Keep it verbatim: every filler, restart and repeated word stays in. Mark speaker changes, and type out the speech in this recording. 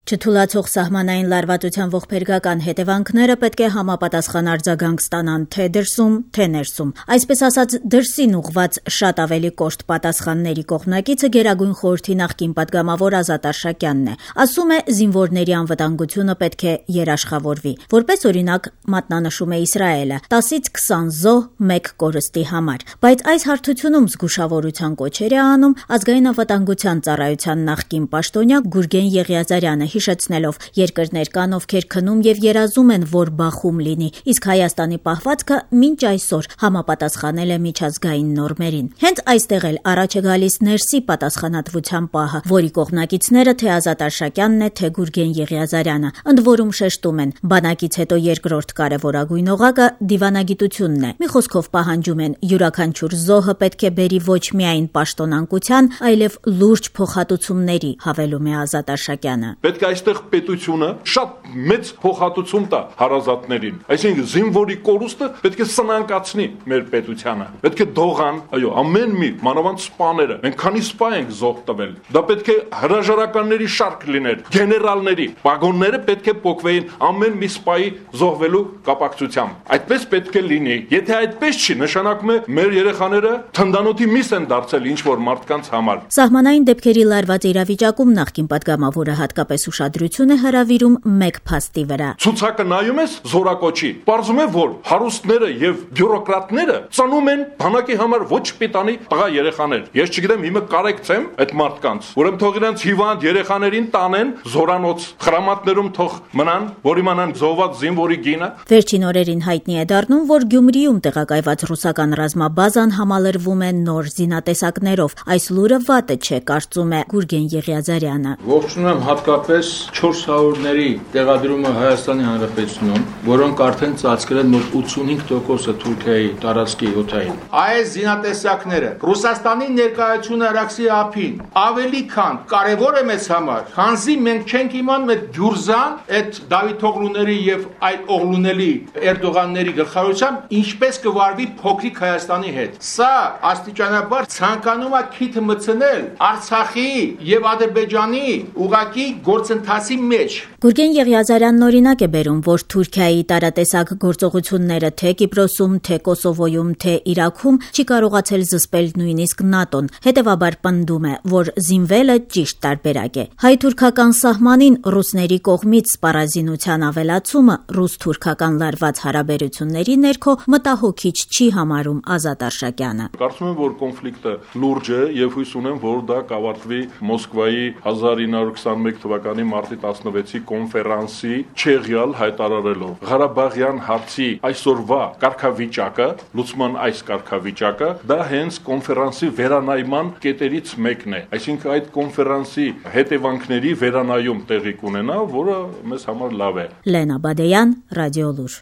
Speaker 1: Չթուլացող սահմանային լարվածության ողբերգական հետևանքները պետք է համապատասխան արձագանք ստանան թե դրսում, թե ներսում։ Այսպես ասած, դրսին ուղված շատ ավելի կոշտ պատասխանների կողմնակիցը Գերագույն խորհրդի նախկին պատգամավոր Ազատ Արշակյանն է։ Ասում է, զինվորների անվտանգությունը պետք է երաշխավորվի։ Որպես օրինակ մատնանշում է Իսրայելը՝ տասից քսան զոհ մեկ կորստի համար։ Բայց այս հարթությունում զգուշավորության կոչեր է անում Ազգային անվտանգության ծառայության նախկին պաշտոնյա Գուրգեն Եղիազարյանը, հիշեցնելով երկրներ կան, ովքեր քնում եւ երազում են, որ բախում լինի, իսկ Հայաստանի պահվածքը մինչ այսօր համապատասխանել է միջազգային նորմերին։ Հենց այստեղ էլ առաջ է գալիս ներսի պատասխանատվության պահը, որի կողմնակիցները թե Ազատ Արշակյանն է, թե Գուրգեն Եղիազարյանը, ընդ որում շեշտում են, բանակից հետո երկրորդ կարևորագույն օղակը դիվանագիտությունն է։ Մի խոսքով պահանջում են, յուրաքանչյուր զոհը պետք է բերի ոչ միայն պաշտոնանկության, այլև լուրջ փոխհատուցումների, հավելում է Ազատ Արշակյանը։
Speaker 2: Պետք է այստեղ պետությունը շատ մեծ փոխհատուցում տա հարազատներին, այսինքն զինվորի կորուստը պետք է սնանկացնի մեր պետությանը, պետք է դողան, այո, ամեն մի մանավանդ սպաները, մենք քանի սպա ենք զոհ տվել, դա պետք է հրաժարականների շարք լիներ, գեներալների, պագոնները պետք է փոխվեին ամեն մի սպայի զոհվելու կապակցությամբ, այդպես պետք է լինի, եթե այդպես չի, նշանակում է մեր երեխաները թնդանոթի միս են դարձել ինչ-որ մարդկանց համար։
Speaker 1: Սահմանային դեպքերի լարված իրավիճակում նախկին պատգամավորը հատկապես ուշադրություն է հրավիրում մեկ փաստի վրա։
Speaker 2: Ցուցակը նայում ես զորակոչի, պարզում է, որ հարուստները եւ բյուրոկրատները ծնում են բանակի համար ոչ պիտանի տղա երեխաներ։ Ես չգիտեմ, հիմա կարեկցեմ այդ մարդկանց, ուրեմն թող իրենց հիվանդ երեխաներին տանեն զորանոց, խրամատներում թող մնան, որ իմանան զոհված զինվորի գինը։
Speaker 1: Վերջին օրերին հայտնի է դառնում, որ Գյումրիում տեղակայված ռուսական ռազմաբազան համալրվում է նոր զինատեսակներով։ Այս լուրը վատը չէ, կարծում է Գուրգեն Եղիազարյանը։
Speaker 3: Ողջունում հատկապես չորս հարյուրների տեղադրումը Հայաստանի Հանրապետությունում, որոնք արդեն ծածկել են մոտ ութսունհինգ տոկոսը Թուրքիայի տարածքի օդային։ Այս զինատեսակները Ռուսաստանի ներկայությունը Արաքսի ափին ավելի քան կարևոր է մեզ համար, քանզի մենք չենք իմանում այդ Գյուրզան, այդ Դավիթօղլուների եւ այլ օղլուների Էրդողանների գլխավորությամբ ինչպես կվարվի փոքրիկ Հայաստանի հետ։ Սա աստիճանաբար ցանկանում է քիթը մտցնել Արցախի եւ Ադրբեջանի ուղակի գործընթացի մեջ։
Speaker 1: Գուրգեն Եղիազարյանն օրինակ է բերում, որ Թուրքիայի տարատեսակ գործողությունները թե Կիպրոսում, թե Կոսովոյում, թե Իրաքում չի կարողացել զսպել նույնիսկ ՆԱՏՕ-ն, հետևաբար պնդում է, որ զինվելը ճիշտ տարբերակ է։ Հայ-թուրքական սահմանին ռուսների կողմից սպառազինության ավելացումը ռուս-թուրքական լարված հարաբերությունների ներքո մտահոգիչ չի համարում Ազատ Արշակյանը։
Speaker 2: Կարծում եմ, որ կոնֆլիկտը լուրջ է եւ հույս ունեմ, որ դա կավարտվի Մոսկվայի հազար ինը հարյուր քսանմեկ թվականի մարտի տասնվեցի կոնֆերանսի չեղյալ հայտարարելով Ղարաբաղյան հարցի այսօրվա կարգավիճակը, լուծման այս կարգավիճակը, դա հենց կոնֆերանսի վերանայման կետերից մեկն է։ Այսինքն այդ կոնֆերանսի հետևանքների վերանայում տեղի կունենա, որը մեզ համար լավ է։
Speaker 1: Լենա Բադեյան, Ռադիոլուր։